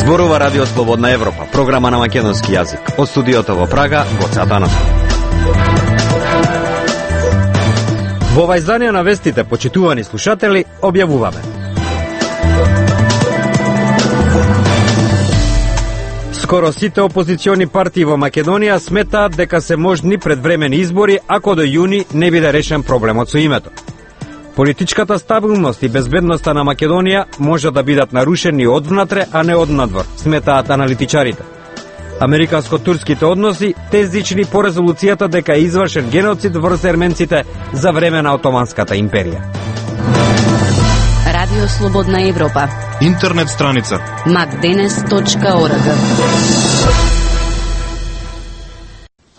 Зборува Радио Слободна Европа, програма на македонски јазик. Од студиото во Прага, Гоце Атанов. Во ова издание на вестите, почитувани слушатели, објавуваме. Скоро сите опозициони партии во Македонија сметаат дека се можни предвремени избори ако до јуни не биде решен проблемот со името. Политичката стабилност и безбедноста на Македонија може да бидат нарушени одвнатре, а не однадвор, сметаат аналитичарите. Американско-турските односи тездични по резолуцијата дека е извршен геноцид врз ерменците за време на Отоманската империја. Радио Слободна Европа. Интернет страница macdenes.org.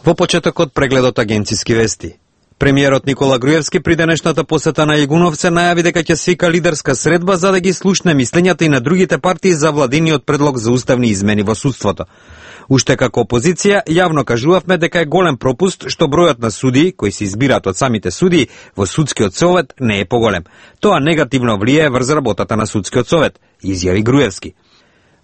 Во почетокот прегледот агенциски вести. Премиерот Никола Груевски при денешната посета на Јегуновце најави дека ќе свика лидерска средба за да ги слушне мислењата и на другите партии за владиниот предлог за уставни измени во судството. Уште како опозиција, јавно кажувавме дека е голем пропуст што бројот на судии, кои се избираат од самите судии во судскиот совет, не е поголем. Тоа негативно влијае врз работата на судскиот совет, изјави Груевски.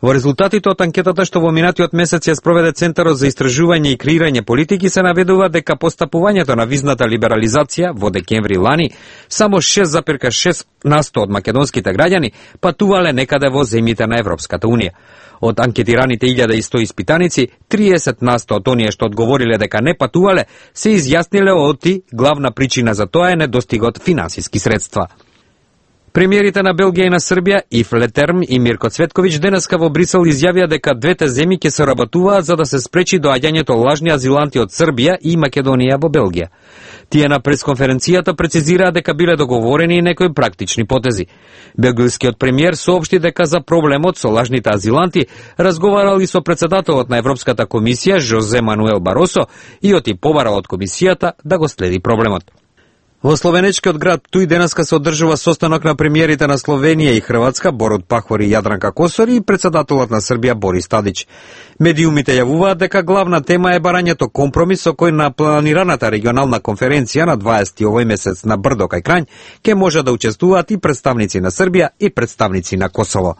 Во резултатите од анкетата што во минатиот месец ја спроведе Центарот за истражување и креирање политики се наведува дека постапувањето на визната либерализација во декември лани само 6,6% од македонските граѓани патувале некаде во земјите на Европската Унија. Од анкетираните 1100 испитаници, 30% од оние што одговориле дека не патувале се изјасниле оти главна причина за тоа е недостигот финансиски средства. Премиерите на Белгија и на Србија, Ив Летерм и Мирко Цветковиќ, денеска во Брисел изјавија дека двете земји ќе соработуваат за да се спречи доаѓањето лажни азиланти од Србија и Македонија во Белгија. Тие на пресконференцијата прецизираа дека биле договорени и некои практични потези. Белгијскиот премиер соопшти дека за проблемот со лажните азиланти разговарал и со председателот на Европската комисија Жозе Мануел Баросо и оти побара од комисијата да го следи проблемот. Во словенечкиот град Туј денеска се одржува состанок на премиерите на Словенија и Хрватска Борут Пахор и Јадранка Косори и председателот на Србија Борис Тадич. Медиумите јавуваат дека главна тема е барањето компромис со кој на планираната регионална конференција на 20 овој месец на Брдо кај Крањ ке може да учествуваат и представници на Србија и представници на Косово.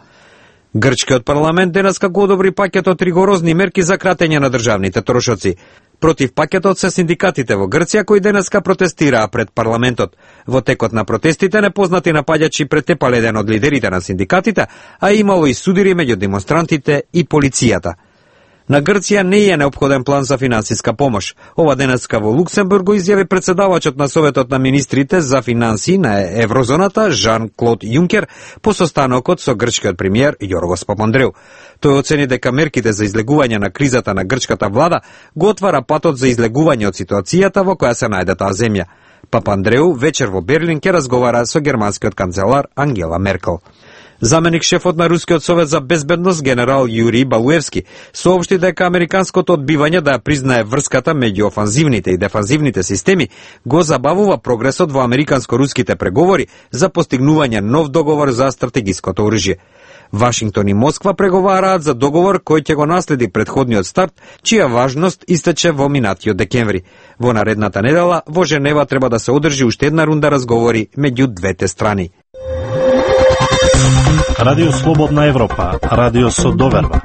Грчкиот парламент денеска го одобри пакетот ригорозни мерки за кратење на државните трошоци. Против пакетот се синдикатите во Грција кои денеска протестираа пред парламентот. Во текот на протестите непознати напаѓачи претепале еден од лидерите на синдикатите, а имало и судири меѓу демонстрантите и полицијата. На Грција не е неопходен план за финансиска помош. Ова денеска во Луксембург го изјави председавачот на Советот на министрите за финансии на Еврозоната Жан-Клод Јункер по состанокот со грчкиот премиер Јоргос Папандреу. Тој оцени дека мерките за излегување на кризата на грчката влада го отвара патот за излегување од ситуацијата во која се најде таа земја. Папандреу вечер во Берлин ќе разговара со германскиот канцелар Ангела Меркел. Заменик шефот на Рускиот совет за безбедност генерал Јури Балуевски соопшти дека американското одбивање да ја признае врската меѓу офанзивните и дефанзивните системи го забавува прогресот во американско-руските преговори за постигнување нов договор за стратегиското оружје. Вашингтон и Москва преговараат за договор кој ќе го наследи претходниот старт, чија важност истече во минатиот декември. Во наредната недела во Женева треба да се одржи уште една рунда разговори меѓу двете страни. Радио Слободна Европа, радио со доверба.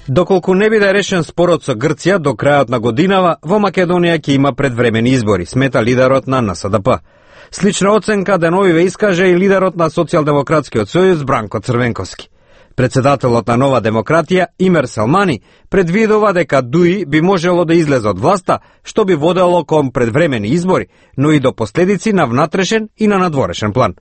Доколку не биде решен спорот со Грција до крајот на годинава, во Македонија ќе има предвремени избори, смета лидерот на НСДП. Слична оценка деновиве искаже и лидерот на Социјалдемократскиот сојуз Бранко Црвенковски. Председателот на Нова демократија Имер Селмани предвидува дека ДУИ би можело да излезе од власта, што би водело кон предвремени избори, но и до последици на внатрешен и на надворешен план.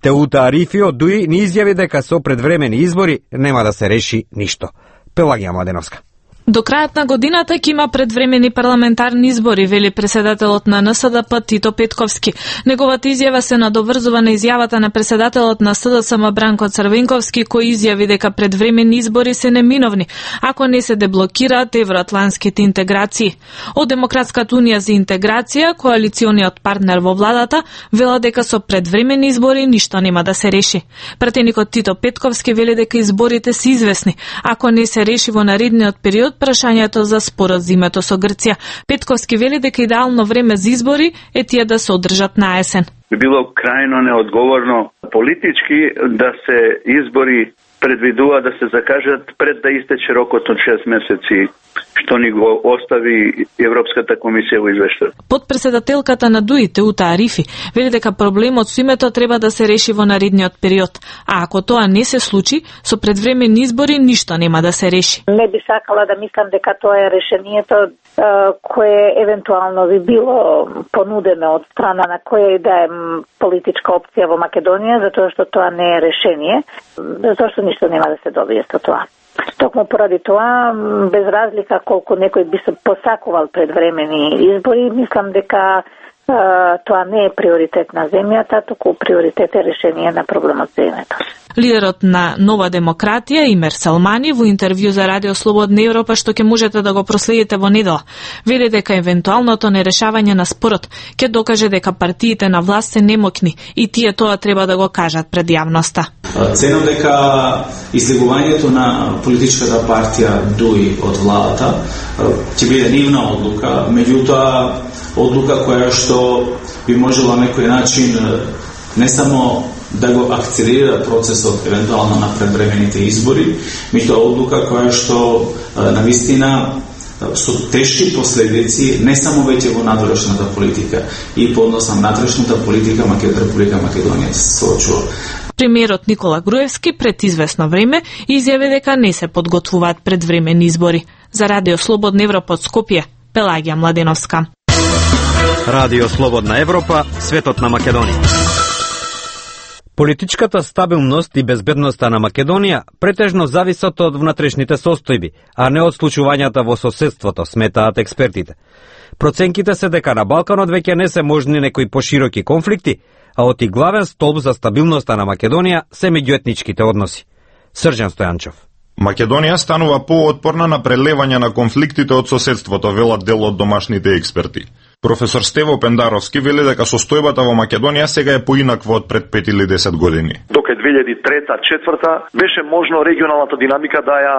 Теута Арифи од ДУИ ни изјави дека со предвремени избори нема да се реши ништо. Пелагија Младеновска. До крајот на годината ќе има предвремени парламентарни избори, вели председателот на НСДП Тито Петковски. Неговата изјава се надоврзува на изјавата на председателот на СДСМ Бранко Црвенковски, кој изјави дека предвремени избори се неминовни, ако не се деблокираат евроатлантските интеграции. Од Демократската унија за интеграција, коалициониот партнер во владата, вела дека со предвремени избори ништо нема да се реши. Пратеникот Тито Петковски вели дека изборите се известни, ако не се реши во наредниот период прашањето за спорот за името со Грција. Петковски вели дека идеално време за избори е тие да се одржат на есен. Би било крајно неодговорно политички да се избори предвидува да се закажат пред да истече рокот од 6 месеци, што ни го остави Европската комисија во извештајот. Подпредседателката на ДУИ Теута Арифи вели дека проблемот со името треба да се реши во наредниот период, а ако тоа не се случи, со предвремени избори ништо нема да се реши. Не би сакала да мислам дека тоа е решението кое евентуално би било понудено од страна на која и да е политичка опција во Македонија, затоа што тоа не е решение, затоа што ништо нема да се добие со тоа. Токму поради тоа, без разлика колку некој би се посакувал предвремени избори, мислам дека тоа не е приоритет на земјата, туку приоритет е решение на проблемот за името. Лидерот на Нова демократија Имер Салмани во интервју за Радио Слободна Европа, што ќе можете да го проследите во недела, вели дека евентуалното нерешавање на спорот ќе докаже дека партиите на власт се немокни и тие тоа треба да го кажат пред јавноста. Ценам дека излегувањето на политичката партија ДУИ од владата ќе биде нивна одлука, меѓутоа одлука која што би можела на некој начин не само да го акцелерира процесот евентуално на предвремените избори, меѓутоа одлука која што навистина со тешки последици не само веќе во надворешната политика и по однос на внатрешната политика Република Македонија се соочува. Премиерот Никола Груевски пред известно време изјави дека не се подготвуваат предвремени избори. За Радио Слободна Европа од Скопје, Пелагија Младеновска. Радио Слободна Европа, светот на Македонија. Политичката стабилност и безбедноста на Македонија претежно зависат од внатрешните состојби, а не од случувањата во соседството, сметаат експертите. Проценките се дека на Балканот веќе не се можни некои пошироки конфликти, а оти главен столб за стабилноста на Македонија се меѓуетничките односи. Срđan Стојанчов. Македонија станува поотпорна на прелевање на конфликтите од соседството, велат дел од домашните експерти. Професор Стево Пендаровски вели дека состојбата во Македонија сега е поинаква од пред 5 или 10 години. Дока 2003-2004 беше можно регионалната динамика да ја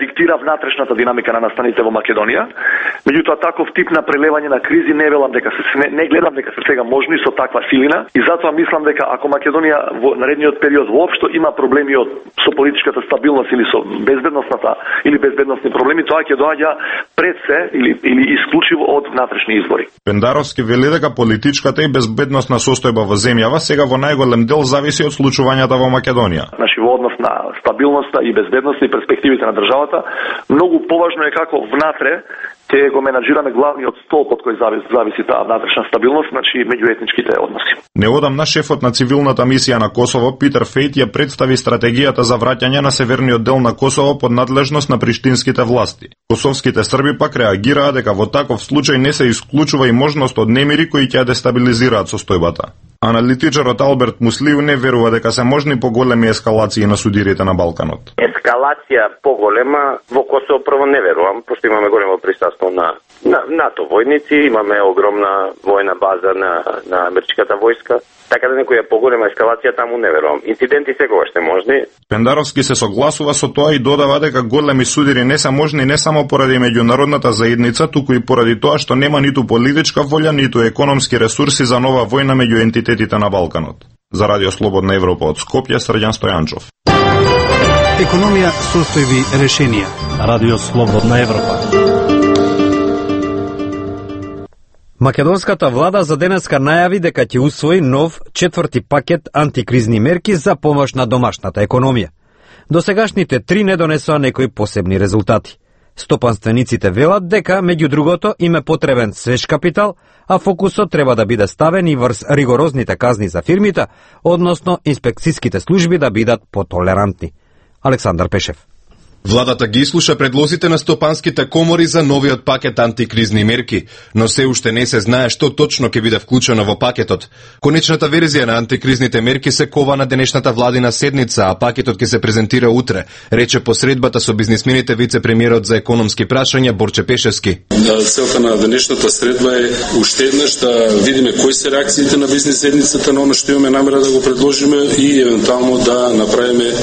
диктира внатрешната динамика на настаните во Македонија. Меѓутоа таков тип на прелевање на кризи не гледам дека се сега можни со таква силина и затоа мислам дека ако Македонија во наредниот период воопшто има проблеми со политичката стабилност или со безбедносни проблеми, тоа ќе доаѓа пред се или исклучиво од внатрешни избори. Пендаровски вели дека политичката и безбедносна состојба во земјава сега во најголем дел зависи од случувањата во Македонија. Значи во однос на стабилноста и безбедноста и перспективите на државата, многу поважно е како внатре ќе го менаџираме главниот столб од кој зависи таа внатрешна стабилност, значи меѓуетничките односи. Неодамна шефот на цивилната мисија на Косово Питер Фејт ја представи стратегијата за враќање на северниот дел на Косово под надлежност на приштинските власти. Косовските срби пак реагираа дека во таков случај не се исклучува и можност од немири кои ќе дестабилизираат состојбата. Аналитичарот Алберт Муслиев не верува дека се можни поголеми ескалации на судирите на Балканот. Ескалација поголема во Косово прво не верувам, пошто имаме големо присуство на НАТО војници, имаме огромна војна база на америчката војска, така да некоја поголема ескалација таму не верувам. Инциденти секогаш се можни. Пендаровски се согласува со тоа и додава дека големи судири не се можни не само поради меѓународната заедница, туку и поради тоа што нема ниту политичка волја, ниту економски ресурси за нова војна меѓу ентитетите на Балканот. За Радио Слободна Европа од Скопје, Срđan Стојанчов. Економија, состојби, решенија. Радио Слободна Европа. Македонската влада за денеска најави дека ќе усвои нов 4ти пакет антикризни мерки за помош на домашната економија. Досегашните 3 не донесоа некои посебни резултати. Стопанствениците велат дека, меѓу другото, им е потребен свеж капитал, а фокусот треба да биде ставен и врз ригорозните казни за фирмите, односно инспекцијските служби да бидат потолерантни. Александар Пешев. Владата ги слуша предлозите на стопанските комори за новиот пакет антикризни мерки, но се уште не се знае што точно ќе биде вклучено во пакетот. Конечната верзија на антикризните мерки се кова на денешната владина седница, а пакетот ќе се презентира утре, рече по средбата со бизнисмените вице-премиерот за економски прашања Борче Пешевски. Целта на денешната средба е уште еднаш да видиме кои се реакциите на бизнис седницата на оно што имаме намера да го предложиме и евентуално да направиме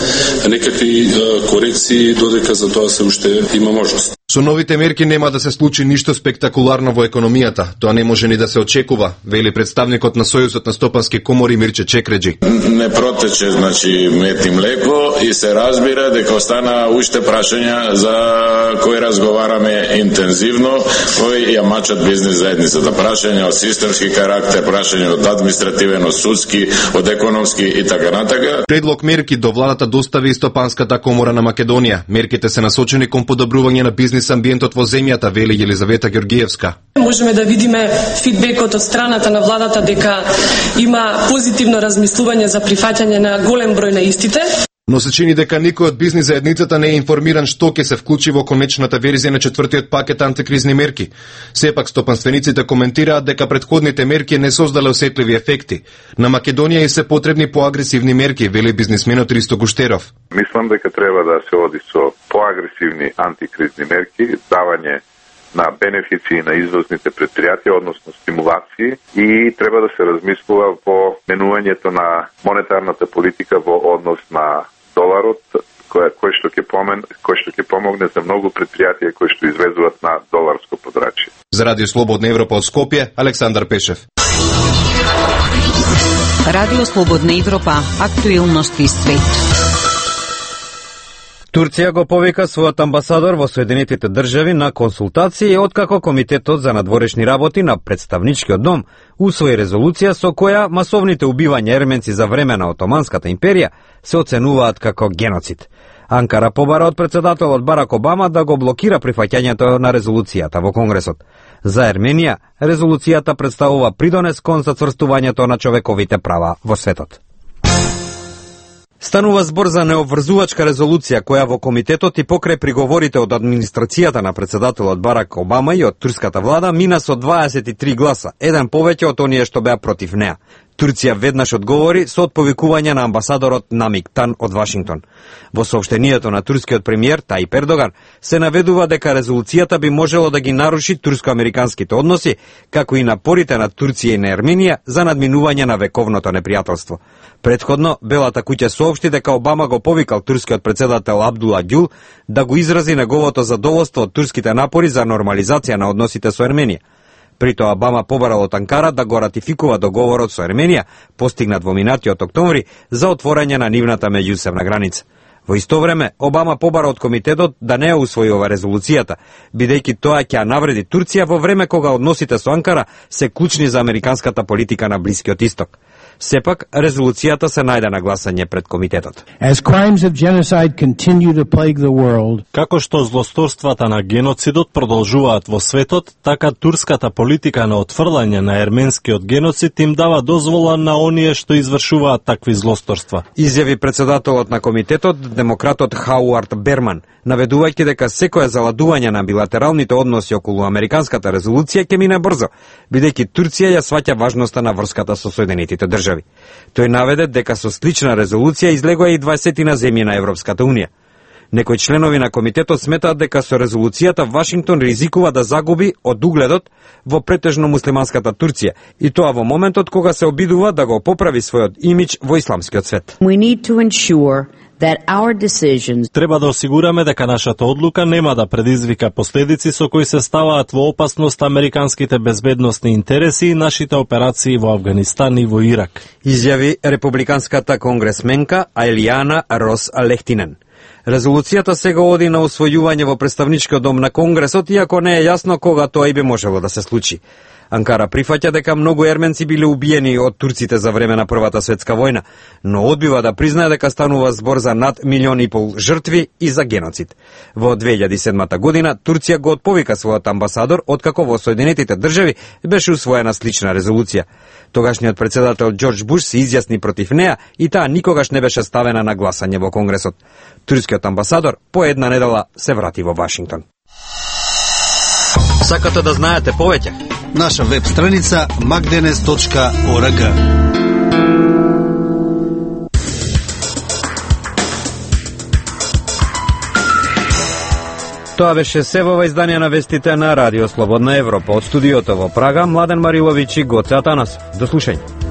некакви корекции додека за тоа се уште има можност. Со новите мерки нема да се случи ништо спектакуларно во економијата. Тоа не може ни да се очекува, вели представникот на Сојузот на стопански комори Мирче Чекреджи. Не протече, значи, мед и млеко и се разбира дека остана уште прашања за кои разговараме интензивно, кои ја мачат бизнес заедницата. Прашања од системски карактер, прашања од административен, од судски, од економски и така натака. Предлог мерки до владата достави и Стопанската комора на Македонија. Мерките се насочени кон подобрување на бизнес амбиентот во земјата, вели Елизавета Ѓоргиевска. Можеме да видиме фидбекот од страната на владата дека има позитивно размислување за прифаќање на голем број на истите. Но се чини дека никој од бизнес заедницата не е информиран што ќе се вклучи во конечната верзија на четвртиот пакет антикризни мерки. Сепак стопанствениците коментираат дека претходните мерки не создале осетливи ефекти. На Македонија и се потребни поагресивни мерки, вели бизнисменот Ристо Гуштеров. Мислам дека треба да се оди со поагресивни антикризни мерки, давање на бенефиции на извозните предпријатија, односно стимулации, и треба да се размислува во менувањето на монетарната политика во однос на доларот, кој што ќе помогне за многу предпријатија кои што извезуваат на доларско подрачје. За Радио Слободна Европа од Скопје, Александар Пешев. Радио Слободна Европа, актуелности свет. Турција го повика својот амбасадор во Соединетите држави на консултации откако Комитетот за надворешни работи на Представничкиот дом усвои резолуција со која масовните убивања ерменци за време на Отоманската империја се оценуваат како геноцид. Анкара побара од председателот Барак Обама да го блокира прифаќањето на резолуцијата во Конгресот. За Ерменија, резолуцијата представува придонес кон зацврстувањето на човековите права во светот. Станува збор за необврзувачка резолуција која во комитетот и покрај приговорите од администрацијата на председателот Барак Обама и од турската влада мина со 23 гласа, еден повеќе од оние што беа против неа. Турција веднаш одговори со отповикување на амбасадорот Намик Тан од Вашингтон. Во соопштението на турскиот премиер Тајип Ердоган се наведува дека резолуцијата би можело да ги наруши турско-американските односи, како и напорите на Турција и на Ерменија за надминување на вековното непријателство. Предходно, Белата куќа соопшти дека Обама го повикал турскиот председател Абдула Ѓул да го изрази неговото задоволство од турските напори за нормализација на односите со Ерменија. При тоа Обама побарал од Анкара да го ратификува договорот со Ерменија, постигнат во минатиот октомври, за отворање на нивната меѓусебна граница. Во исто време, Обама побара од комитетот да не ја усвои ова резолуцијата, бидејќи тоа ќе ја навреди Турција во време кога односите со Анкара се клучни за американската политика на Блискиот Исток. Сепак, резолуцијата се најде на гласање пред комитетот. Како што злосторствата на геноцидот продолжуваат во светот, така турската политика на отфрлање на ерменскиот геноцид им дава дозвола на оние што извршуваат такви злосторства. Изјави председателот на комитетот, демократот Хауард Берман, наведувајќи дека секое заладување на билатералните односи околу американската резолуција ќе мине брзо, бидејќи Турција ја сваќа важноста на врската со Соединетите држави. Тој наведе дека со слична резолуција излегоа и 20 на земји на Европската Унија. Некои членови на комитетот сметаат дека со резолуцијата Вашингтон ризикува да загуби од угледот во претежно муслиманската Турција, и тоа во моментот кога се обидува да го поправи својот имидж во исламскиот свет. Треба да осигураме дека нашата одлука нема да предизвика последици со кои се ставаат во опасност американските безбедносни интереси и нашите операции во Авганистан и во Ирак. Изјави републиканската конгресменка Ајлијана Рос Лехтинен. Резолуцијата сега оди на усвојување во Представничкиот дом на Конгресот, иако не е јасно кога тоа и би можело да се случи. Анкара прифаќа дека многу ерменци биле убиени од турците за време на Првата светска војна, но одбива да признае дека станува збор за над 1,5 милиони жртви и за геноцид. Во 2007 година Турција го отповика својот амбасадор, откако во Соединетите држави беше усвоена слична резолуција. Тогашниот председател Џорџ Буш се изјасни против неа и таа никогаш не беше ставена на гласање во Конгресот. Турскиот амбасадор по една недела се врати во Вашингтон. Сакате да знаете повеќе? Наша веб страница magdenes.org. Тоа беше се во издание на вестите на Радио Слободна Европа. Од студиото во Прага, Младен Мариловиќ и Гоце Атанас. До слушање.